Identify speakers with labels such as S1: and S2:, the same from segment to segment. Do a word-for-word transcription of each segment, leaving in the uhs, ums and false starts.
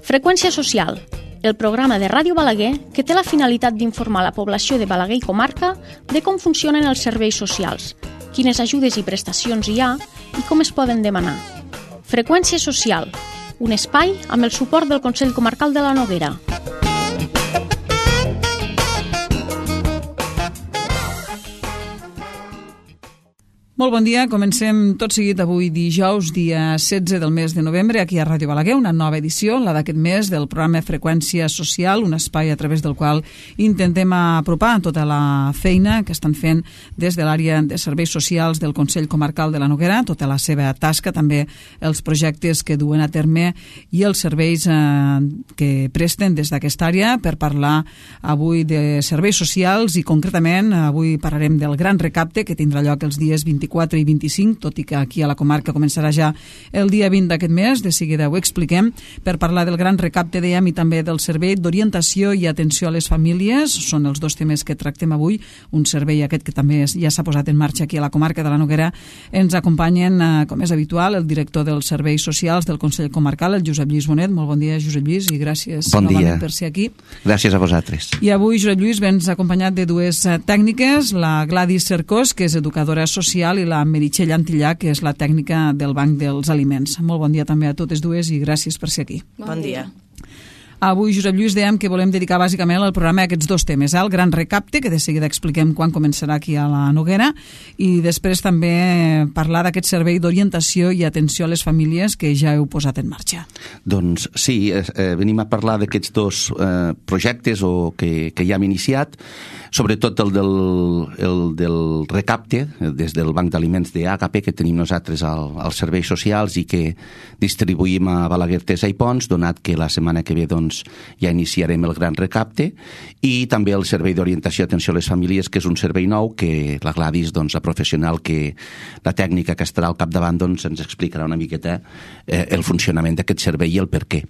S1: Freqüència social, el programa de Ràdio Balaguer que té la finalitat d'informar la població de Balaguer i comarca de com funcionen els serveis socials, quines ajudes i prestacions hi ha i com es poden demanar. Freqüència social, un espai amb el suport del Consell Comarcal de la Noguera.
S2: Molt bon dia, comencem tot seguit avui dijous, dia setze del mes de novembre, aquí a Ràdio Balaguer, una nova edició, la d'aquest mes, del programa Freqüència Social, un espai a través del qual intentem apropar tota la feina que estan fent des de l'àrea de serveis socials del Consell Comarcal de la Noguera, tota la seva tasca, també els projectes que duen a terme i els serveis eh, que presten des d'aquesta àrea, per parlar avui de serveis socials i concretament avui parlarem del gran recapte que tindrà lloc els dies vint-i-quatre i vint-i-cinc, tot i que aquí a la comarca començarà ja el dia vint d'aquest mes, de seguida ho expliquem, per parlar del gran recapte, dèiem, i també del servei d'orientació i atenció a les famílies. Són els dos temes que tractem avui, un servei aquest que també ja s'ha posat en marxa aquí a la comarca de la Noguera. Ens acompanyen, eh, com és habitual, el director dels serveis socials del Consell Comarcal, el Josep Lluís Bonet. Molt bon dia, Josep Lluís, i gràcies
S3: bon
S2: novament per ser aquí.
S3: Gràcies a vosaltres.
S2: I avui, Josep Lluís, vens acompanyat de dues tècniques, la Gladys Cercós, que és educadora social, i la Meritxell Antillà, que és la tècnica del Banc dels Aliments. Molt bon dia també a totes dues i gràcies per ser aquí.
S4: Bon dia.
S2: Avui, Josep Lluís, dèiem que volem dedicar bàsicament al programa a aquests dos temes, eh? El gran recapte, que de seguida expliquem quan començarà aquí a la Noguera, i després també parlar d'aquest servei d'orientació i atenció a les famílies que ja heu posat en marxa.
S3: Doncs sí, eh, venim a parlar d'aquests dos eh, projectes o que, que ja hem iniciat, sobretot el del, el del recapte des del Banc d'Aliments de A K P que tenim nosaltres al, als serveis socials i que distribuïm a Balaguer, Tesa i Pons, donat que la setmana que ve doncs, ja iniciarem el gran recapte, i també el servei d'orientació i atenció a les famílies, que és un servei nou que la Gladys, doncs, la professional, que la tècnica que estarà al capdavant, doncs, ens explicarà una miqueta eh, el funcionament d'aquest servei i el per què.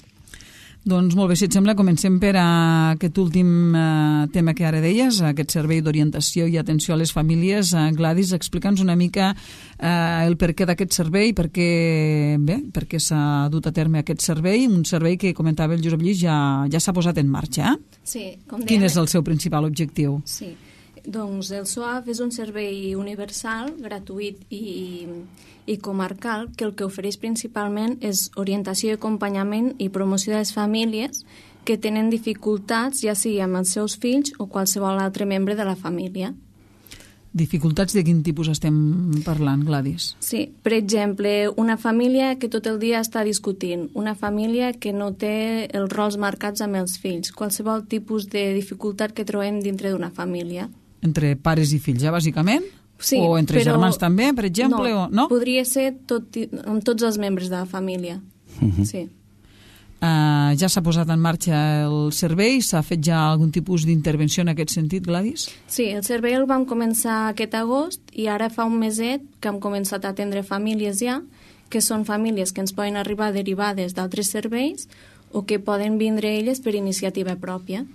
S2: Doncs molt bé, si et sembla, comencem per aquest últim eh, tema que ara deies, aquest servei d'orientació i atenció a les famílies. Eh, Gladys, explica'ns una mica eh, el per què d'aquest servei, per què, bé, per què s'ha dut a terme aquest servei, un servei que comentava el Josep Lluís ja, ja s'ha posat en marxa. Eh?
S4: Sí, com deia.
S2: Quin és el seu principal objectiu?
S4: Sí, doncs el S O A F és un servei universal, gratuït i, i comarcal, que el que ofereix principalment és orientació i acompanyament i promoció de les famílies que tenen dificultats, ja sigui amb els seus fills o qualsevol altre membre de la família.
S2: Dificultats de quin tipus estem parlant, Gladys?
S4: Sí, per exemple, una família que tot el dia està discutint, una família que no té els rols marcats amb els fills, qualsevol tipus de dificultat que trobem dintre d'una família.
S2: Entre pares i fills, ja, bàsicament?
S4: Sí,
S2: o entre
S4: però
S2: germans també, per exemple?
S4: No,
S2: o, no?
S4: podria ser tot, amb tots els membres de la família.
S3: Uh-huh.
S4: Sí.
S2: Uh, ja s'ha posat en marxa el servei? S'ha fet ja algun tipus d'intervenció en aquest sentit, Gladys?
S4: Sí, el servei el vam començar aquest agost i ara fa un meset que hem començat a atendre famílies ja, que són famílies que ens poden arribar derivades d'altres serveis o que poden vindre elles per iniciativa pròpia.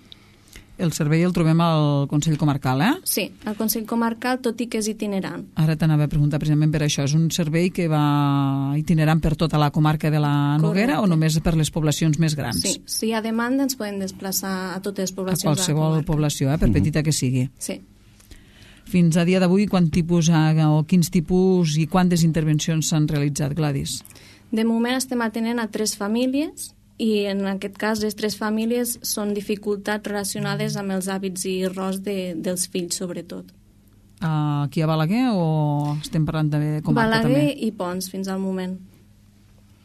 S2: El servei el trobem al Consell Comarcal, eh?
S4: Sí, al Consell Comarcal, tot i que és itinerant.
S2: Ara t'anava a preguntar precisament per això. És un servei que va itinerant per tota la comarca de la Noguera. Correcte. O només per les poblacions més grans?
S4: Sí, si hi ha demanda ens podem desplaçar a totes les poblacions
S2: a qualsevol
S4: de la
S2: població, eh? Per
S3: Mm-hmm.
S2: petita que sigui.
S4: Sí.
S2: Fins a dia d'avui, quant tipus o quins tipus i quantes intervencions s'han realitzat, Gladys?
S4: De moment estem atenent a tres famílies i en aquest cas les tres famílies són dificultats relacionades amb els hàbits i rols de, dels fills, sobretot.
S2: Uh, aquí a Balaguer o estem parlant de comarca
S4: Balaguer
S2: també?
S4: i Pons, fins al moment.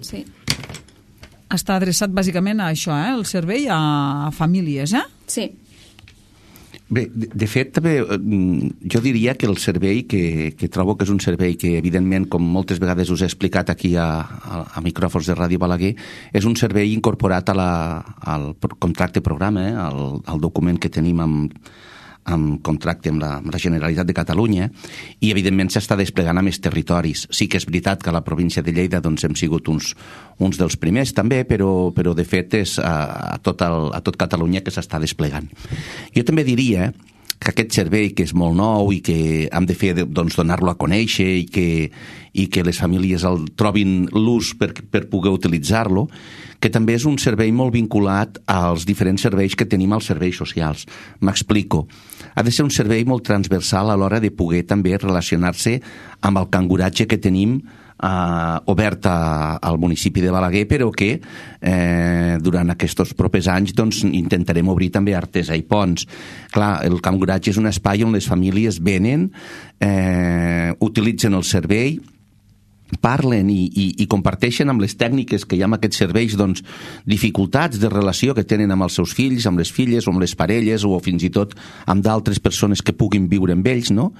S4: Sí.
S2: Està adreçat bàsicament a això, eh? El servei a famílies, eh?
S4: Sí.
S3: Bé, de, de fet, també, jo diria que el servei, que, que trobo que és un servei que, evidentment, com moltes vegades us he explicat aquí a, a, a micròfons de Ràdio Balaguer, és un servei incorporat a la, al contracte programa, eh, al, al document que tenim amb, amb contracte amb la, amb la Generalitat de Catalunya, i evidentment s'està desplegant a més territoris. Sí que és veritat que a la província de Lleida doncs, hem sigut uns, uns dels primers també, però, però de fet és a, a, tot el, a tot Catalunya que s'està desplegant. Jo també diria que aquest servei, que és molt nou i que hem de fer, doncs, donar-lo a conèixer i que, i que les famílies el trobin l'ús per, per poder utilitzar-lo, que també és un servei molt vinculat als diferents serveis que tenim als serveis socials. M'explico. Ha de ser un servei molt transversal a l'hora de poder també relacionar-se amb el canguratge que tenim Uh, obert a, al municipi de Balaguer, però que eh, durant aquests propers anys doncs, intentarem obrir també Artesa i Ponts. Clar, el canguratge és un espai on les famílies venen, eh, utilitzen el servei, parlen i, i, i comparteixen amb les tècniques que hi ha en aquests serveis doncs, dificultats de relació que tenen amb els seus fills, amb les filles o amb les parelles o fins i tot amb d'altres persones que puguin viure amb ells, no?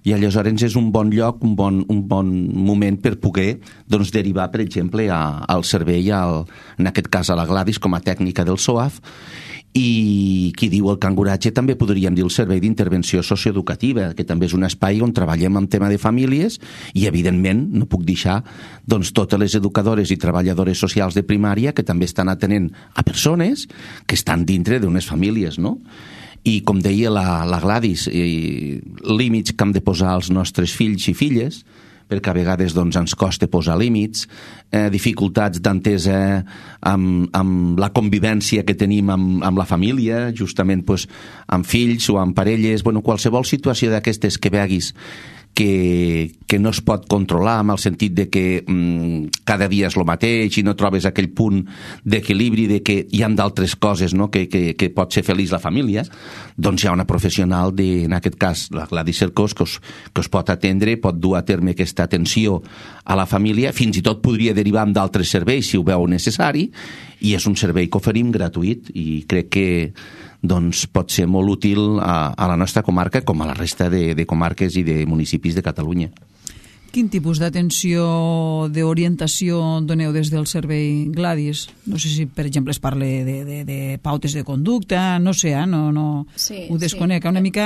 S3: I aleshores és un bon lloc, un bon, un bon moment per poder doncs, derivar, per exemple, a, al servei, al, en aquest cas a la Gladys com a tècnica del S O A F, i qui diu el canguratge també podríem dir el servei d'intervenció socioeducativa, que també és un espai on treballem en tema de famílies i evidentment no puc deixar doncs, totes les educadores i treballadores socials de primària que també estan atenent a persones que estan dintre d'unes famílies, no? I com deia la, la Gladys, eh, límits que hem de posar als nostres fills i filles, perquè a vegades doncs, ens costa posar límits, eh, dificultats d'entesa amb, amb la convivència que tenim amb, amb la família, justament pues, amb fills o amb parelles, bueno, qualsevol situació d'aquestes que veguis que, que no es pot controlar, en el sentit de que mm, cada dia és el mateix i no trobes aquell punt d'equilibri de que hi ha d'altres coses, no? que, que, que pot ser feliç la família, doncs hi ha una professional, de, en aquest cas la Gladys Cercós, que us, que us pot atendre, pot dur a terme aquesta atenció a la família, fins i tot podria derivar amb d'altres serveis si ho veu necessari, i és un servei que oferim gratuït i crec que doncs pot ser molt útil a, a la nostra comarca com a la resta de, de comarques i de municipis de Catalunya.
S2: Quin tipus d'atenció, d'orientació doneu des del servei Gladys? No sé si, per exemple, es parla de, de, de pautes de conducta, no sé, eh? no, no
S4: sí,
S2: ho desconec. Sí. Una mica,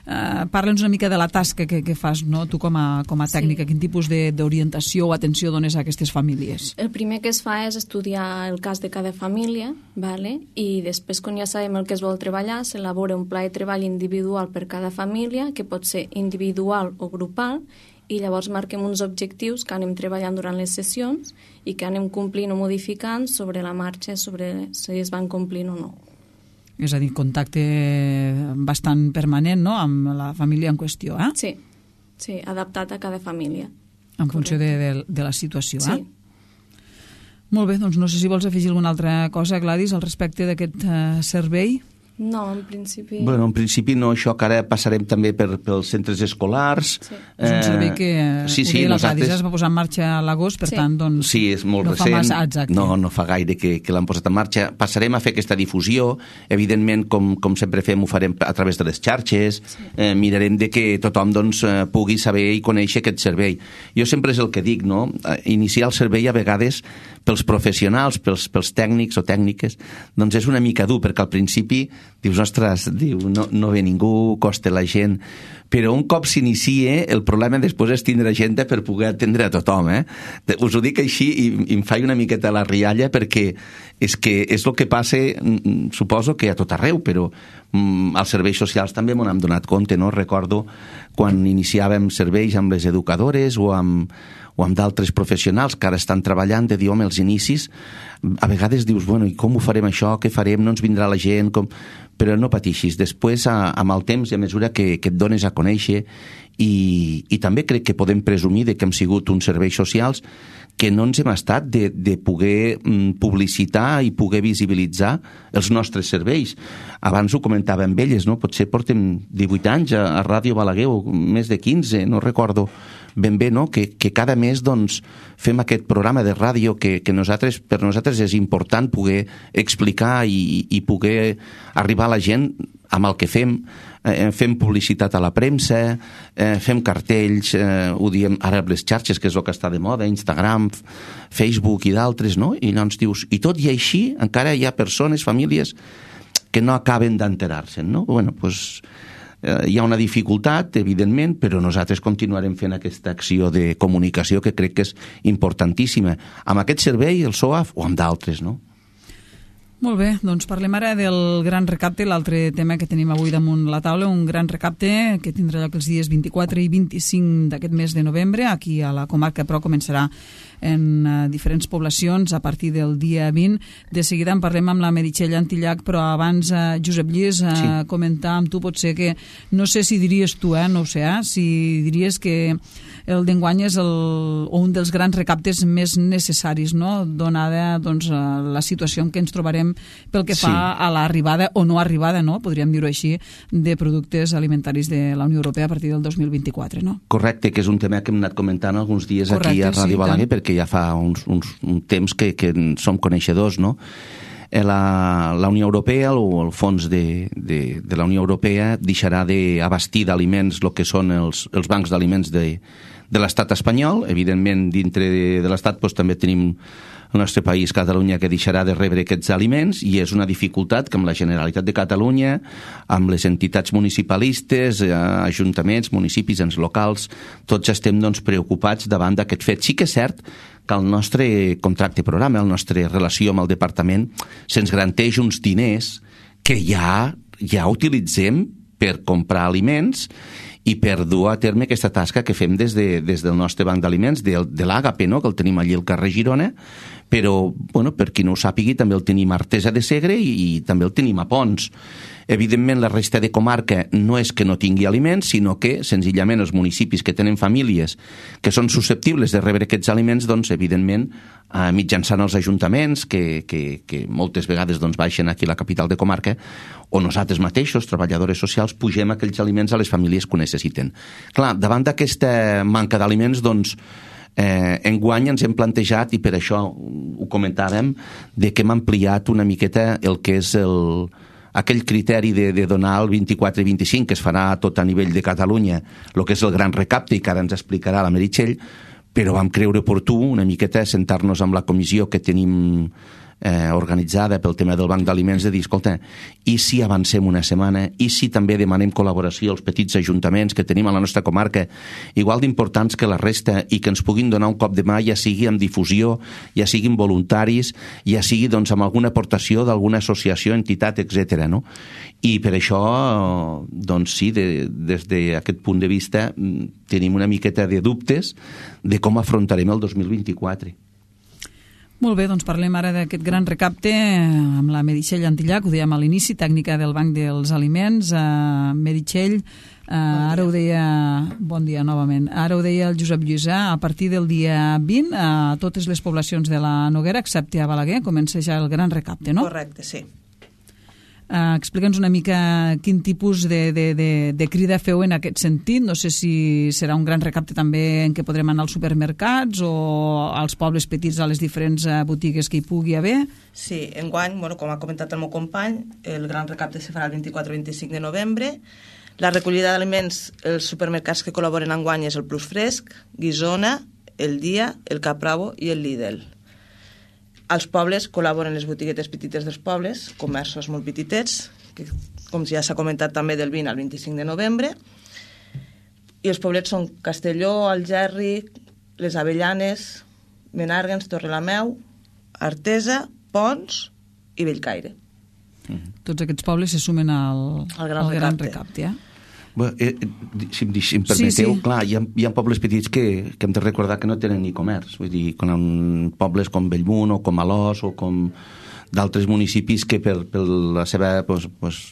S2: eh, parla'ns una mica de la tasca que, que fas, no? Tu com a, com a tècnica, sí. Quin tipus d'orientació o atenció dones a aquestes famílies?
S4: El primer que es fa és estudiar el cas de cada família, vale? I després, quan ja sabem el que es vol treballar, s'elabora un pla de treball individual per cada família, que pot ser individual o grupal, i llavors marquem uns objectius que anem treballant durant les sessions i que anem complint o modificant sobre la marxa, sobre si es van complint o no.
S2: És a dir, contacte bastant permanent, no?, amb la família en qüestió, eh?
S4: Sí, sí, adaptat a cada família.
S2: En funció de, de, de la situació, eh?
S4: Sí.
S2: Molt bé, doncs no sé si vols afegir alguna altra cosa, Gladys, al respecte d'aquest uh, servei.
S4: No, en principi...
S3: Bueno, en principi no, això que ara passarem també per, pels centres escolars.
S2: Sí. Eh, és un servei que sí, sí, la nosaltres... Gladys es va posar en marxa a l'agost, per sí. tant, doncs...
S3: Sí, és molt
S2: no
S3: recent.
S2: Fa massa, exacte.
S3: No, no fa gaire que, que l'han posat en marxa. Passarem a fer aquesta difusió. Evidentment, com, com sempre fem, ho farem a través de les xarxes. Sí. Eh, mirarem de que tothom doncs, pugui saber i conèixer aquest servei. Jo sempre és el que dic, no? Iniciar el servei a vegades pels professionals, pels, pels tècnics o tècniques, doncs és una mica dur, perquè al principi dius, ostres, diu, no, no ve ningú, costa la gent, però un cop s'inicia, el problema després és tindre gent per poder atendre a tothom, eh? Us ho dic així i, i em faig una miqueta la rialla, perquè és que és el que passa, suposo que a tot arreu, però mm, als serveis socials també m'ho hem donat compte, no? Recordo quan iniciàvem serveis amb les educadores o amb o amb d'altres professionals que ara estan treballant, de dir, home, els inicis, a vegades dius, bueno, i com ho farem això, què farem, no ens vindrà la gent, com... però no patixis, després a, amb el temps i a mesura que, que et dones a conèixer i, i també crec que podem presumir de que hem sigut uns serveis socials que no ens hem estat de, de poder mm, publicitar i poder visibilitzar els nostres serveis. Abans ho comentava amb elles, no? Potser portem divuit anys a, a Ràdio Balaguer, o més de quinze, no recordo ben bé, no? Que, que cada mes doncs, fem aquest programa de ràdio que, que nosaltres, per nosaltres és important poder explicar i, i poder arribar a la gent amb el que fem. Eh, fem publicitat a la premsa, eh, fem cartells, eh, ho diem ara amb les xarxes, que és el que està de moda, Instagram, Facebook i d'altres, no? I llavors dius, i tot i així encara hi ha persones, famílies, que no acaben d'enterar-se'n, no? Bueno, doncs eh, hi ha una dificultat, evidentment, però nosaltres continuarem fent aquesta acció de comunicació que crec que és importantíssima, amb aquest servei, el S O A F, o amb d'altres, no?
S2: Molt bé, doncs parlem ara del gran recapte, l'altre tema que tenim avui damunt la taula, un gran recapte que tindrà lloc els dies vint-i-quatre i vint-i-cinc d'aquest mes de novembre, aquí a la comarca, però començarà en uh, diferents poblacions a partir del dia vint. De seguida en parlem amb la Meritxell Antillac, però abans, uh, Josep Lluís, uh, sí. comentar amb tu, potser que, no sé si diries tu, eh, no ho sé, eh, si diries que el d'enguany és el, un dels grans recaptes més necessaris, no?, donada doncs, la situació en què ens trobarem pel que fa sí. a l'arribada o no arribada, no?, podríem dir-ho així, de productes alimentaris de la Unió Europea a partir del dos mil vint-i-quatre, no?
S3: Correcte, que és un tema que hem anat comentant alguns dies Correcte, aquí a Ràdio sí, Balaguer, tant. perquè ja fa uns, uns, un temps que, que som coneixedors, no?, La, la Unió Europea o el fons de, de, de la Unió Europea deixarà d'abastir d'aliments el que són els, els bancs d'aliments de, de l'estat espanyol. Evidentment, dintre de, de l'estat doncs, també tenim el nostre país, Catalunya, que deixarà de rebre aquests aliments, i és una dificultat que amb la Generalitat de Catalunya, amb les entitats municipalistes, eh, ajuntaments, municipis, ens locals, tots estem doncs, preocupats davant d'aquest fet. Sí que és cert que el nostre contracte programa, la nostra relació amb el departament, se'ns garanteix uns diners que ja, ja utilitzem per comprar aliments i per dur a terme aquesta tasca que fem des, de, des del nostre banc d'aliments, de, de l'Àgape, no?, que el tenim allí al carrer Girona, però, bueno, per qui no ho sàpigui, també el tenim a Artesa de Segre i, i també el tenim a Pons. Evidentment, la resta de comarca no és que no tingui aliments, sinó que, senzillament, els municipis que tenen famílies que són susceptibles de rebre aquests aliments, doncs, evidentment, eh, mitjançant els ajuntaments, que, que, que moltes vegades doncs, baixen aquí a la capital de comarca, o nosaltres mateixos, treballadores socials, pugem aquells aliments a les famílies que ho necessiten. Clar, davant d'aquesta manca d'aliments, doncs, Eh, enguany ens hem plantejat, i per això ho comentàvem, de que hem ampliat una miqueta el que és el, aquell criteri de, de donar el vint-i-quatre i vint-i-cinc, que es farà tot a nivell de Catalunya, el que és el gran recapte, i que ara ens explicarà la Meritxell, però vam creure oportú una miqueta sentar-nos amb la comissió que tenim eh, organitzada pel tema del banc d'aliments, de dir, escolta, i si avancem una setmana, i si també demanem col·laboració als petits ajuntaments que tenim a la nostra comarca, igual d'importants que la resta, i que ens puguin donar un cop de mà, ja sigui amb difusió, ja siguin voluntaris, ja sigui doncs, amb alguna aportació d'alguna associació, entitat, etcètera, no? I per això, doncs sí, de, des d'aquest punt de vista, tenim una miqueta de dubtes de com afrontarem el dos mil vint-i-quatre.
S2: Molt bé, doncs parlem ara d'aquest gran recapte amb la Meritxell Antillac, ho dèiem a l'inici, tècnica del Banc dels Aliments. Uh, Meritxell, uh, ara ho deia... Bon dia, novament. Ara ho deia el Josep Lluís, a partir del dia vint, a totes les poblacions de la Noguera, excepte a Balaguer, comença ja el gran recapte, no?
S5: Correcte, sí.
S2: Uh, Explica'ns una mica quin tipus de, de, de, de crida feu en aquest sentit. No sé si serà un gran recapte també en què podrem anar als supermercats o als pobles petits, a les diferents uh, botigues que hi pugui haver.
S5: Sí, enguany, bueno, com ha comentat el meu company, el gran recapte se farà el vint-i-quatre i vint-i-cinc de novembre. La recollida d'aliments, els supermercats que col·laboren enguany és el Plus Fresc, Guisona, el Dia, el Cap Bravo i el Lidl. Als pobles col·laboren les botiguetes petites dels pobles, comerços molt petitets, que, com ja s'ha comentat també del vint al vint-i-cinc de novembre, i els poblets són Castelló, Algerri, les Avellanes, Menàrguens, Torrelameu, Artesa, Pons i Bellcaire.
S2: Mm-hmm. Tots aquests pobles se sumen al,
S5: al gran
S2: al
S5: recapte.
S2: Gran recapte eh?
S3: Bé, eh, si, em, si em permeteu, sí, sí. Clar, hi ha, hi ha pobles petits que, que hem de recordar que no tenen ni comerç. Vull dir, quan pobles com Bellmunt o com Alòs o com d'altres municipis que per, per la seva pues, pues,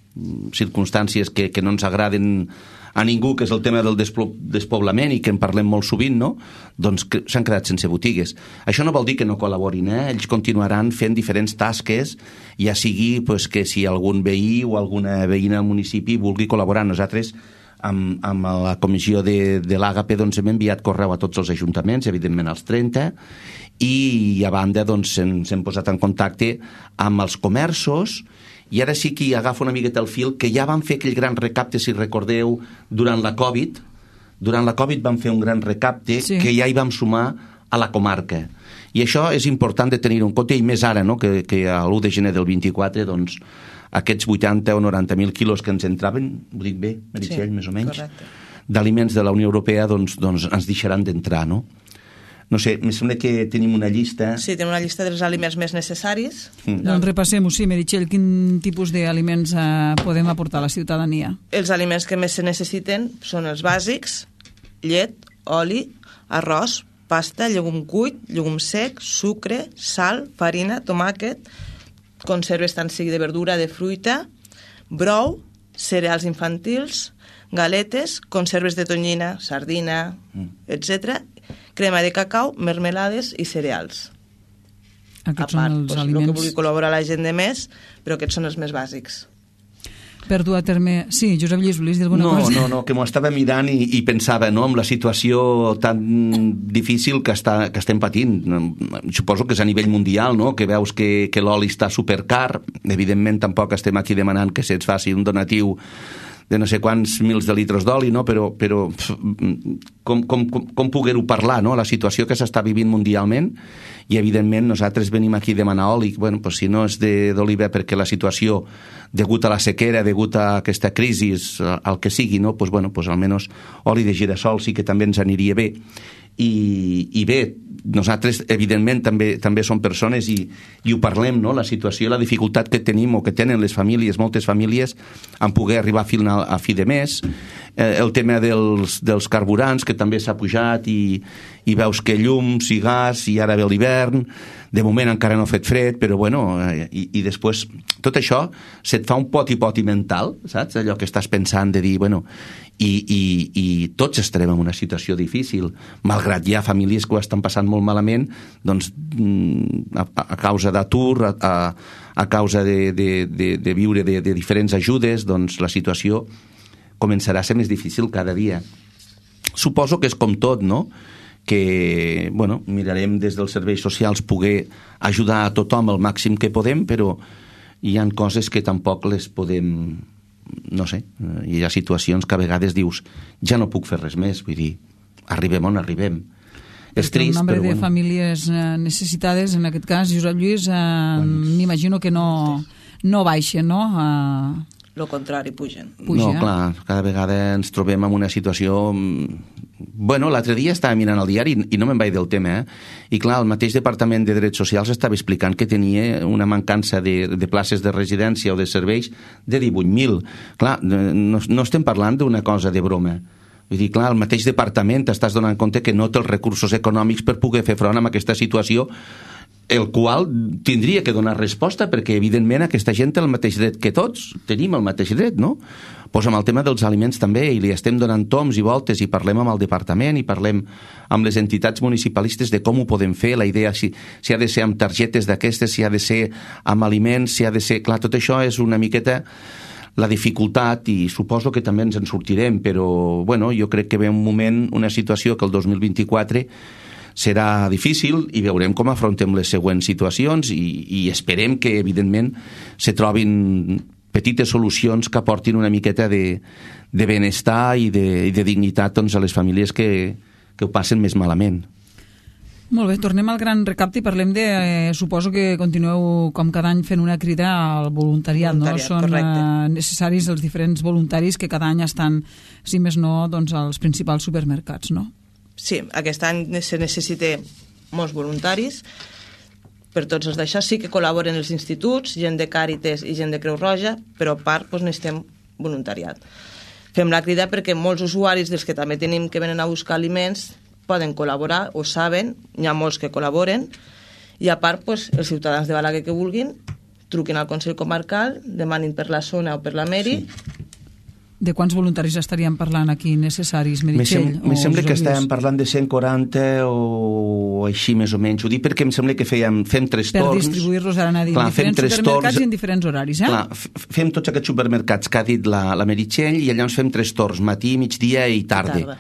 S3: circumstàncies que, que no ens agraden a ningú, que és el tema del despoblament i que en parlem molt sovint, no? Doncs s'han quedat sense botigues. Això no vol dir que no col·laborin, eh? Ells continuaran fent diferents tasques, ja sigui pues, que si algun veí o alguna veïna del municipi vulgui col·laborar. Nosaltres, amb, amb la comissió de, de l'Àgape, doncs, hem enviat correu a tots els ajuntaments, evidentment als trenta, i a banda doncs, ens hem posat en contacte amb els comerços. I ara sí que hi agafa una miqueta el fil, que ja van fer aquell gran recapte, si recordeu, durant la Covid. Durant la Covid vam fer un gran recapte, sí, que ja hi vam sumar a la comarca. I això és important de tenir en compte, i més ara, no? que, que a l'u de gener del vint-i-quatre, doncs, aquests vuitanta o noranta mil quilos que ens entraven, ho dic bé, Meritxell, sí, més o menys, d'aliments de la Unió Europea, doncs, doncs ens deixaran d'entrar, no? no sé, em sembla que tenim una llista...
S5: Sí, tenim una llista dels aliments més necessaris.
S2: Mm. Doncs repassem-ho, sí, Meritxell, quin tipus d'aliments eh, podem aportar a la ciutadania?
S5: Els aliments que més se necessiten són els bàsics: llet, oli, arròs, pasta, llegum cuit, llegum sec, sucre, sal, farina, tomàquet, conserves tant sigui de verdura, de fruita, brou, cereals infantils, galetes, conserves de tonyina, sardina, mm. etcètera, crema de cacau, mermelades i cereals.
S2: Aquests
S5: a part,
S2: són els
S5: doncs,
S2: aliments...
S5: el que vulgui col·laborar la gent de més, però aquests són els més bàsics.
S2: Per dur a terme... Sí, Josep Lluís, volies dir alguna
S3: no,
S2: cosa?
S3: No, no, que m'ho estava mirant i, i pensava, no?, amb la situació tan difícil que, està, que estem patint. Suposo que és a nivell mundial, no?, que veus que, que l'oli està supercar. Evidentment, tampoc estem aquí demanant que se'ns faci un donatiu de no sé quants mils de litres d'oli, no? Però, però com, com, com, com poder-ho parlar, no?, la situació que s'està vivint mundialment, i evidentment nosaltres venim aquí a demanar oli. Bueno, pues si no és d'oliva perquè la situació, degut a la sequera, degut a aquesta crisi, el que sigui, no?, pues bueno, pues almenys oli de girassol sí que també ens aniria bé. I, i bé, nosaltres evidentment també, també som persones i, i ho parlem, no?, la situació, la dificultat que tenim o que tenen les famílies, moltes famílies, en poder arribar a fi, a fi de mes, eh, el tema dels, dels carburants, que també s'ha pujat, i, i veus que llums i gas, i ara ve l'hivern, de moment encara no ha fet fred, però bueno, eh, i, i després tot això se't fa un poti-poti mental, saps? Allò que estàs pensant de dir, bueno, i, i, i tots estarem en una situació difícil, malgrat hi ha famílies que ho estan passant molt malament, doncs a, a causa d'atur, a, a, a causa de, de, de, de viure de, de diferents ajudes, doncs la situació començarà a ser més difícil cada dia. Suposo que és com tot, no?, que, bueno, mirarem des dels serveis socials poder ajudar a tothom el màxim que podem, però hi ha coses que tampoc les podem, no sé, hi ha situacions que a vegades dius, ja no puc fer res més, vull dir, arribem on arribem. És trist,
S2: el nombre
S3: però
S2: de
S3: bueno.
S2: famílies necessitades, en aquest cas, Josep Lluís, eh, bueno, m'imagino que no, no baixen, no? Eh...
S5: Lo contrari, pugen.
S2: Puja.
S3: No, clar, cada vegada ens trobem en una situació... Bueno, l'altre dia estava mirant el diari i no me'n vaig del tema, eh? I clar, el mateix Departament de Drets Socials estava explicant que tenia una mancança de, de places de residència o de serveis de divuit mil. Clar, no, no estem parlant d'una cosa de broma. Vull dir, clar, el mateix departament t'estàs donant compte que no té els recursos econòmics per poder fer front a aquesta situació, el qual tindria que donar resposta, perquè evidentment aquesta gent té el mateix dret que tots, tenim el mateix dret, no? Pues amb el tema dels aliments també, i li estem donant toms i voltes, i parlem amb el departament, i parlem amb les entitats municipalistes de com ho podem fer, la idea si, si ha de ser amb targetes d'aquestes, si ha de ser amb aliments, si ha de ser... Clar, tot això és una miqueta la dificultat, i suposo que també ens en sortirem, però bueno, jo crec que ve un moment, una situació que el dos mil vint-i-quatre serà difícil, i veurem com afrontem les següents situacions, i, i esperem que evidentment se trobin petites solucions que aportin una miqueta de, de benestar i de, i de dignitat, doncs, a les famílies que, que ho passen més malament.
S2: Molt bé, tornem al gran recapte i parlem de... Eh, suposo que continueu com cada any fent una crida al voluntariat,
S5: voluntariat,
S2: no? Són
S5: correcte.
S2: eh, necessaris els diferents voluntaris que cada any estan, si més no, doncs, als principals supermercats, no?
S5: Sí, aquest any se necessita molts voluntaris. Per tots els d'això sí que col·laboren els instituts, gent de Càritas i gent de Creu Roja, però a part doncs, necessitem voluntariat. Fem la crida perquè molts usuaris dels que també tenim que venen a buscar aliments poden col·laborar, ho saben, hi ha molts que col·laboren, i a part doncs, els ciutadans de Balaguer que vulguin truquin al Consell Comarcal, demanin per la zona o per la Meri.
S3: Sí.
S2: De quants voluntaris estaríem parlant aquí necessaris, Meritxell?
S3: Me sembla que estàvem parlant de cent quaranta o així més o menys. Ho dic perquè em sembla que fèiem, fem tres
S2: per
S3: torns.
S2: Per distribuir-los ara a dir en diferents supermercats torns, i en diferents horaris, eh?
S3: Clar, fem tots aquests supermercats que ha dit la, la Meritxell, i llavors fem tres torns, matí, migdia i tarda. tarda.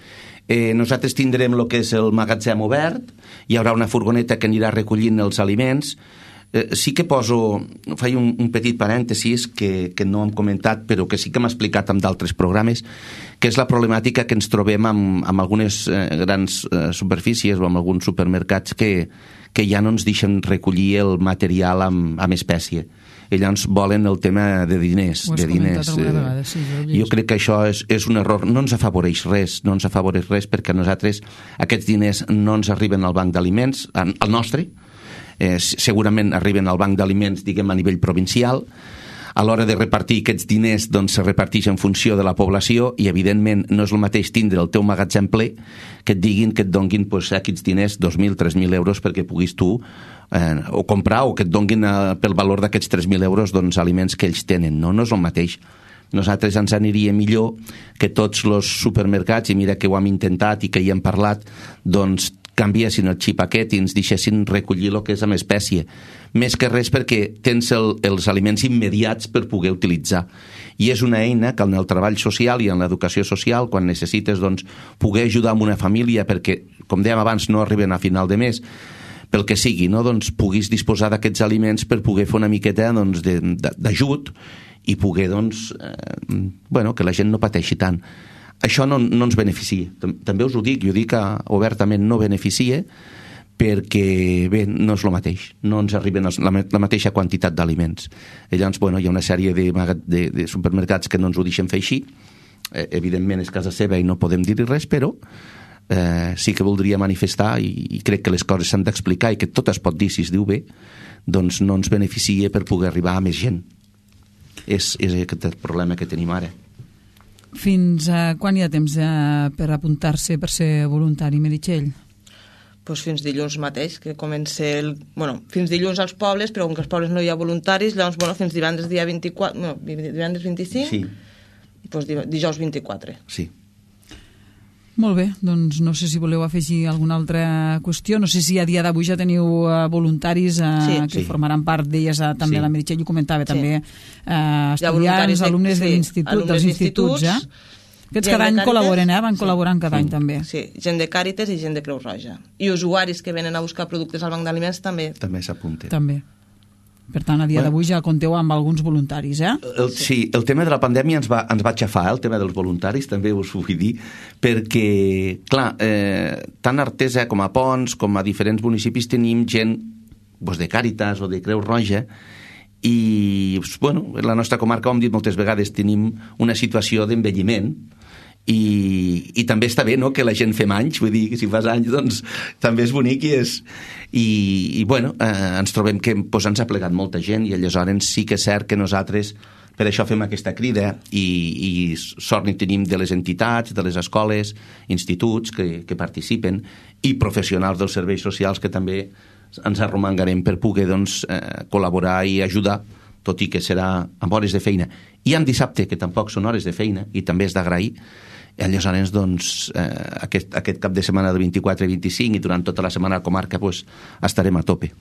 S3: Eh, nosaltres tindrem el que és el magatzem obert, hi haurà una furgoneta que anirà recollint els aliments. Eh, sí que poso, faig un, un petit parèntesis que, que no hem comentat, però que sí que m'ha explicat en d'altres programes, que és la problemàtica que ens trobem amb, amb algunes eh, grans eh, superfícies o amb alguns supermercats que, que ja no ens deixen recollir el material amb, amb espècie. I llavors volen el tema de diners.
S2: Ho has
S3: de diners.
S2: comentat alguna vegada, sí. Jo,
S3: jo crec que això és, és un error. No ens afavoreix res, no ens afavoreix res perquè nosaltres aquests diners no ens arriben al banc d'aliments, al nostre, eh, segurament arriben al banc d'aliments, diguem, a nivell provincial. A l'hora de repartir aquests diners, doncs, se reparteix en funció de la població i, evidentment, no és el mateix tindre el teu magatzem ple que et diguin que et donguin pues, aquests diners, dos mil, tres mil euros, perquè puguis tu eh, o comprar o que et donguin eh, pel valor d'aquests tres mil euros doncs, aliments que ells tenen. No, no és el mateix. Nosaltres ens aniria millor que tots els supermercats, i mira que ho hem intentat i que hi hem parlat, doncs canviessin el xip aquest i ens deixessin recollir el que és amb espècie. Més que res perquè tens el, els aliments immediats per poder utilitzar. I és una eina que en el treball social i en l'educació social, quan necessites doncs, poder ajudar amb una família perquè, com dèiem abans, no arriben a final de mes, pel que sigui, no? Doncs puguis disposar d'aquests aliments per poder fer una miqueta doncs, d'ajut i poder doncs, eh, bueno, que la gent no pateixi tant. Això no, no ens beneficia. També us ho dic, jo dic que obertament no beneficia perquè, bé, no és el mateix. No ens arriben la, la mateixa quantitat d'aliments. Llavors, bueno, hi ha una sèrie de, de, de supermercats que no ens ho deixen fer així. Eh, evidentment és casa seva i no podem dir-hi res, però eh, sí que voldria manifestar i, i crec que les coses s'han d'explicar i que tot es pot dir si es diu bé, doncs no ens beneficia per poder arribar a més gent. És, és aquest el problema que tenim ara.
S2: Fins a quan hi ha temps eh, per apuntar-se per ser voluntari, Meritxell?
S5: Pues fins dilluns mateix, que comença el... Bueno, fins dilluns als pobles, però com que als pobles no hi ha voluntaris, llavors, bueno, fins divendres dia vint-i-quatre... No, divendres vint-i-cinc?
S3: Sí.
S5: I pues dijous vint-i-quatre.
S3: Sí.
S2: Molt bé, doncs no sé si voleu afegir alguna altra qüestió. No sé si a dia d'avui ja teniu uh, voluntaris uh, sí, que sí. formaran part d'elles, uh, també sí. La Meritxell ho comentava, sí. també uh, estudiants, de, alumnes sí, de l'institut, dels instituts, eh? Aquests cada any col·laboren, eh? Van sí. col·laborant cada sí. any també.
S5: Sí, gent de Càritas i gent de Creu Roja. I usuaris que venen a buscar productes al banc d'aliments també.
S3: També s'apunten.
S2: També. Per tant, a dia bueno, d'avui ja compteu amb alguns voluntaris, eh?
S3: El, sí, el tema de la pandèmia ens va, ens va aixafar, eh? El tema dels voluntaris, també us ho vull dir, perquè, clar, eh, tant a Artesa com a Pons, com a diferents municipis, tenim gent doncs, de Càritas o de Creu Roja, i, bueno, en la nostra comarca, ho hem dit moltes vegades, tenim una situació d'envelliment, i, i també està bé, no?, que la gent fem anys, vull dir que si fas anys doncs també és bonic i és i, i bueno, eh, ens trobem que pues, ens ha plegat molta gent i aleshores sí que és cert que nosaltres per això fem aquesta crida i, i sort n'hi tenim de les entitats, de les escoles, instituts que, que participen i professionals dels serveis socials que també ens arromangarem per poder doncs, eh, col·laborar i ajudar, tot i que serà amb hores de feina. I en dissabte, que tampoc són hores de feina i també és d'agrair. Aleshores, doncs, eh, aquest, aquest cap de setmana del vint-i-quatre i vint-i-cinc i durant tota la setmana a la comarca pues, estarem a tope.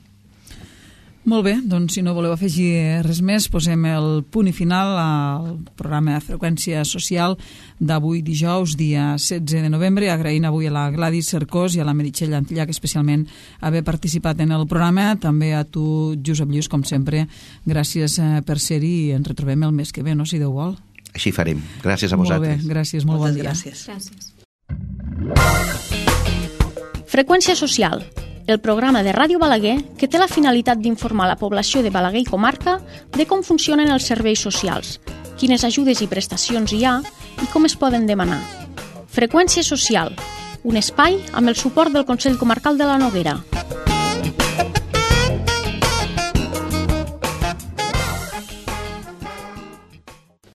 S2: Molt bé, doncs si no voleu afegir res més, posem el punt i final al programa de Freqüència Social d'avui dijous, dia setze de novembre, agraint avui a la Gladys Cercós i a la Meritxell Antillac especialment haver participat en el programa, també a tu, Josep Lluís, com sempre, gràcies per ser-hi i ens retrobem el mes que ve, no?, si Déu vol.
S3: Així farem. Gràcies a vosaltres.
S2: Molt bé, gràcies, molt
S5: Moltes
S2: bon dia.
S5: Gràcies.
S4: Gràcies.
S1: Freqüència Social, el programa de Ràdio Balaguer que té la finalitat d'informar la població de Balaguer i comarca de com funcionen els serveis socials, quines ajudes i prestacions hi ha i com es poden demanar. Freqüència Social, un espai amb el suport del Consell Comarcal de la Noguera.